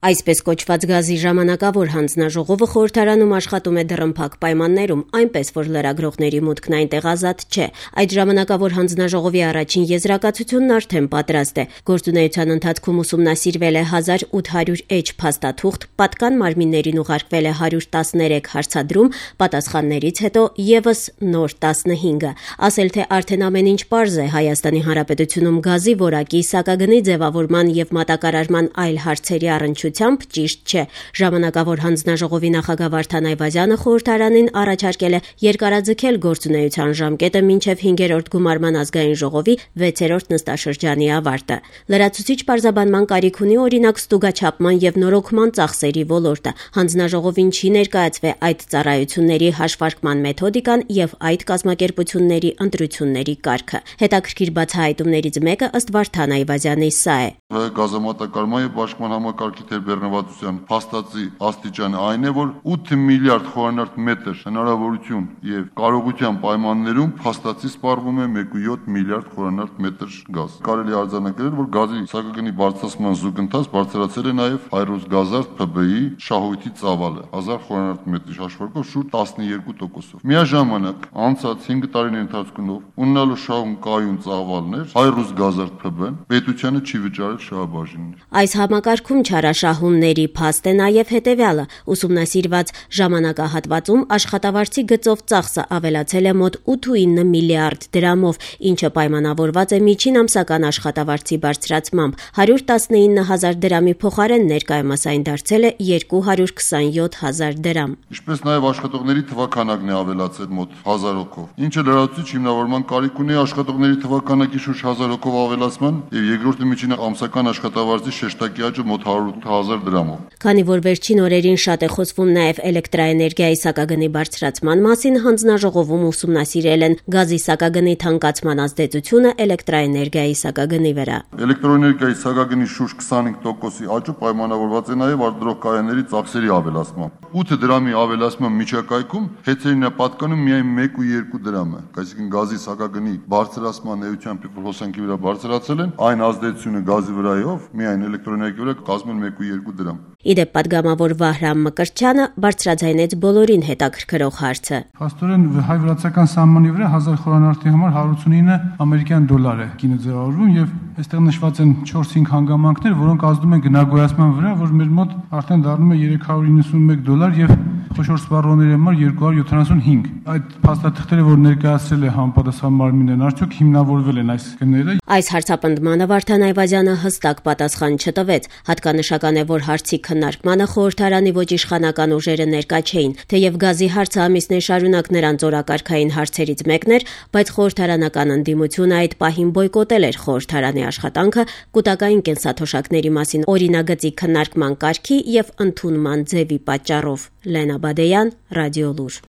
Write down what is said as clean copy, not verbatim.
Այսպես կոչված գազի ժամանակավոր հանձնաժողովը խորհրդարանում աշխատում է դռնփակ պայմաններում, այնպես որ լրագրողների մուտքն այնտեղ ազատ չէ։ Այդ ժամանակավոր հանձնաժողովի առաջին եզրակացությունն արդեն պատրաստ է։ Գործունեության ընթացքում ուսումնասիրվել է 1800 էջ փաստաթուղթ, պատկան մարմիններին ուղարկվել է 113 հարցադրում, պատասխաններից հետո եւս նոր 15-ը։ Ասել թե արդեն ամեն ինչ պարզ է Հայաստանի Հանրապետությունում գազի որակի, սակագնի ձևավորման եւ մատակարարման այլ հարցերի առնչությամբ ճիշտ չէ։ Ժամանակավոր հանձնաժողովի նախագահ Վարդան Այվազյանը խորհրդարանին առաջարկել է երկարաձգել գործունեության ժամկետը մինչև 5-րդ գումարման ազգային ժողովի 6-րդ նստաշրջանի ավարտը։ Լրացուցիչ պարզաբանման կարիք ունի օրինակ ստուգաչափման եւ նորոգման ծախսերի ոլորտը։ Հանձնաժողովին չի ներկայացվել այդ ծառայությունների հաշվարկման մեթոդիկան եւ այդ կազմակերպությունների ընտրությունների կարգը։ Հետաքրքիր բացահայտումներից մեկը ըստ Վարդան Այվազյանի սա է։ Գազամատակարարման եւ բաշխման համակարգի թերբեռնվածության փաստացի աստիճանը այն է, որ 8 միլիարդ խորանարդ մետր հնարավորություն եւ կարողության պայմաններում փաստացի սպառվում է 1.7 միլիարդ խորանարդ մետր գազ։ Կարելի արձանագրել, որ գազի սակագնի բարձրացման զուգընթաց բարձրացել է նաեւ Հայրուս Գազարդ ՓԲ-ի շահույթի ծավալը 1000 խորանարդ մետրի հաշվարկով շուրջ 12%-ով։ Միաժամանակ անցած 5 տարիների ընթացքում ունենալու շահում կայուն ծավալներ Հայրուս Գազարդ ՓԲ-ն պետությանը չի վճարել շահաբաժիններ։ Այս համակարգում չարաշահումների փաստ է նաև հետևյալը. ուսումնասիրված ժամանակահատվածում աշխատավարձի գծով ծախսը ավելացել է մոտ 8.9 միլիարդ դրամով, ինչը պայմանավորված է միջին ամսական աշխատավարձի բարձրացմամբ։ 119,000 դրամի փոխարեն ներկայումս այն դարձել է 227,000 դրամ։ Ինչպես նաև աշխատողների թվաքանակն է ավելացել մոտ 1000 հոգով, ինչը լրացուցիչ հիմնավորման կարիք ունի աշխատողների թվաքանակի շուրջ 1000 հոգով ավելացման եւ երկրորդի միջին ամսական աշխատավարձի շեշտակի աճը մոտ 108,000 դրամով։ Քանի որ վերջին օրերին շատ է խոսվում նաև էլեկտրաէներգիայի սակագնի բարձրացման մասին, հանձնաժողովում ուսումնասիրել են գազի սակագնի թանկացման ազդեցությունը էլեկտրաէներգիայի սակագնի վրա։ Էլեկտրոէներգիայի սակագնի շուրջ 25%-ի աճը պայմանավորված է նաև արտադրողականների ծախսերի ավելացմամբ։ 8 դրամի ավելացման միջակայքում հեծերին է պատկանում միայն 1 ու 2 դրամը, այսինքն գազի սակագնի բարձրացման էությամբ հոսանքի վրա բարձրացել են, այն ազդեցությունը գազի վրայով միայն էլեկտրոէներգիայի վրա կազմել 1 ու 2 դրամ։ Իդեպ պատգամավոր Վահրամ Մկրտչյանը բարձրաձայնեց բոլորին հետաքրքրող հարցը։ Փաստորեն հայ-վրացական սահմանի վրա 1000 խորանարդի համար 189 ամերիկյան դոլար է կինը ձևավորվում եւ այստեղ նշված են 4-5 հանգամանքներ, որոնք ազդում են գնագոյացման վրա, որ մեր մոտ արդեն դառնում է 391 դոլար եւ խոշոր սպառողների համար 275։ Այդ փաստաթղթերը, որ ներկայացրել է համապատասխան մարմինն, արդյոք հիմնավորվել են այս գները։ Այս հարցապնդմանը Վարդան Այվազյանը հստակ պատասխան չտվեց։ Հատկանշական է, որ հարցի քննարկմանը խորհրդարանի ոչ իշխանական ուժերը ներկա չէին, թեև գազի հարցը ամիսներ շարունակ նրանց օրակարգային հարցերից մեկն էր, բայց խորհրդարանական ընդդիմությունը այդ պահին բոյկոտել էր խորհրդարանի աշխատանքը կൂട്ടակային կենսաթոշակների մասին օրինագծի քննարկման կարգի եւ ընդունման ձևի պատճառով։ Լենա Բադեյան, Ռադիոլուր։